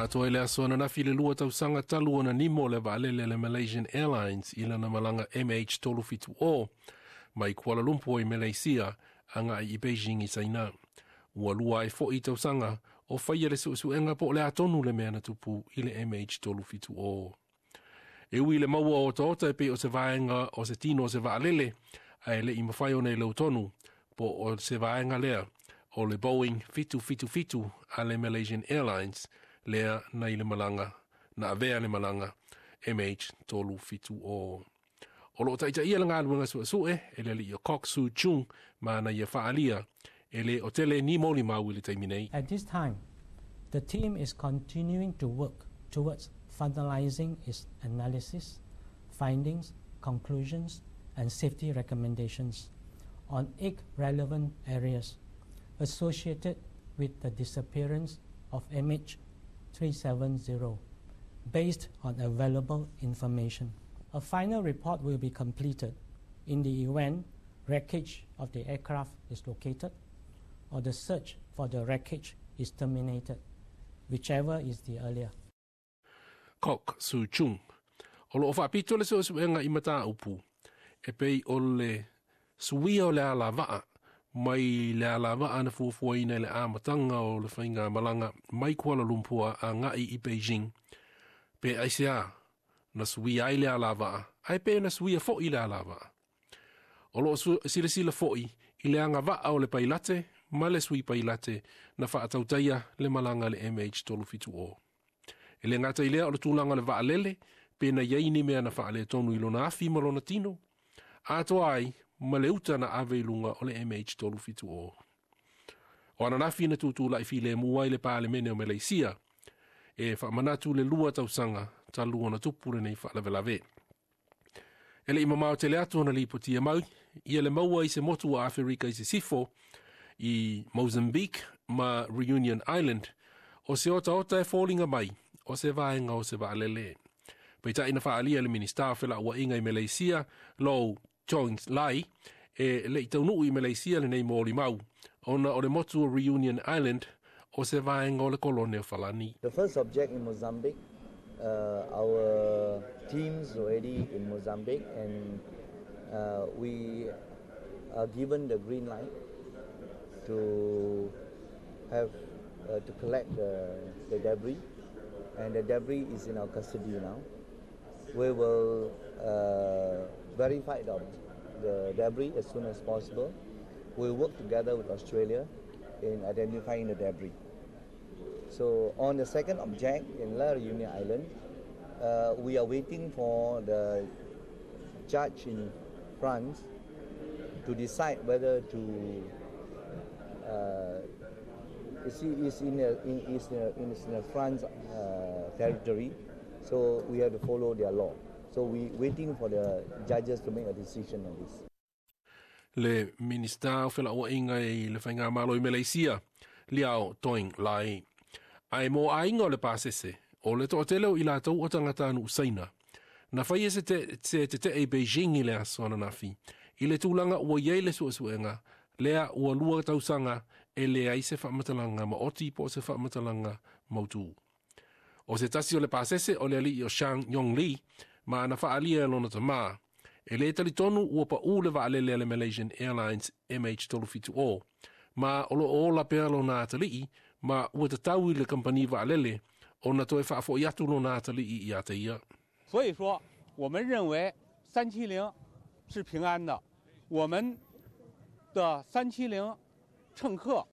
Na atoa i le aso ananafi le 2 tausaga talu ona nimo le vaalele a le Malaysian Airlines i lana malaga MH370 mai Kuala Lumpur i Malaysia agai i Beijing i Saina. Ua 2 ai fo'i tausaga o faia le suesuega po o le a tonu le mea na tupu i le MH370. E ui i le maua o otaota e pei o se vaega o se tino o se vaalele, ae le'i mafai ona iloa tonu po o se vaega lea o le Boeing 777 a le Malaysian Airlines lea na i le malaga na avea le malaga MH370. O loo taitaia le galuega suesue e le alii o Kok Soo Chung ma na ia faaalia e le o tele ni molimau i le taimi nei. At this time, the team is continuing to work towards finalizing its analysis, findings, conclusions, and safety recommendations on 8 relevant areas associated with the disappearance of MH370 based on available information. A final report will be completed in the event wreckage of the aircraft is located or the search for the wreckage is terminated, whichever is the earlier. Kok Soo Chung. O loo faapito le suesuega i mataupu e pei o le suia o le alavaa mai le alavaa na fuafuaina i le amataga o le faigamalaga mai Kuala Lumpur agai i Beijing. Pe aisea na suia ai le alavaa, ae pe na suia fo'i le alavaa. O loo silasila fo'i i le agavaa o le pailate ma le sui pailate na faatautaia le malaga le MH370. E le gata i lea o le tulaga o le vaalele, pe na iai ni mea na faaletonu i lona afi ma lona tino, atoa ai ma le uta na ave i luga o le MH370. O ananafi na tutula'i filemu ai le Palemene o Malaysia e faamanatu le 2 tausaga talu ona tupu lenei faalavelave. E le'i mamao tele atu ona lipotia mai ia le maua i se motu o Aferika i Sisifo i Mozambique ma Reunion Island o se otaota e foliga mai o se vaega o se vaalele. Peitai na faaalia le Minista o Felauaiga i Malaysia, Lou Chong Lai, e le'i taunuu i Malaysia lenei molimau ona o le motu o Reunion Island o se vaega o le kolone o Falani. The first object in Mozambique, our teams already in Mozambique, and we are given the green light to have to collect the debris, and the debris is in our custody now. We will verify the debris as soon as possible. We work together with Australia in identifying the debris. So on the second object in La Reunion Island, we are waiting for the judge in France to decide whether to. It's in a, in, it's in a, in, in a France territory, so we have to follow their law. So we waiting for the judges to make a decision on this. Le Minista o Felauaiga i le Faigamalo i Malaysia, Liao Toing Lai. Ae mo aiga o le pasese, o le toatele o i latou o tagatanuu Saina. Na faia se tetee i Beijing i le aso ananafi, i le tulaga ua i ai le suesuega, lea ua 2 tausaga e leai se faamatalaga maoti po o se faamatalaga mautū. O se tasi o le pasese o le alii o Shang Yong Li, ma na faaalia e lona tamā. E le talitonu ua paʻū le vaalele a le Malaysian Airlines MH370, ma o loo ola pea lona atalii, ma ua tatau i le kampani vaalele ona toe faafo'i atu lona atalii ia te ia. 所以说，我们认为370是平安的，我们的370乘客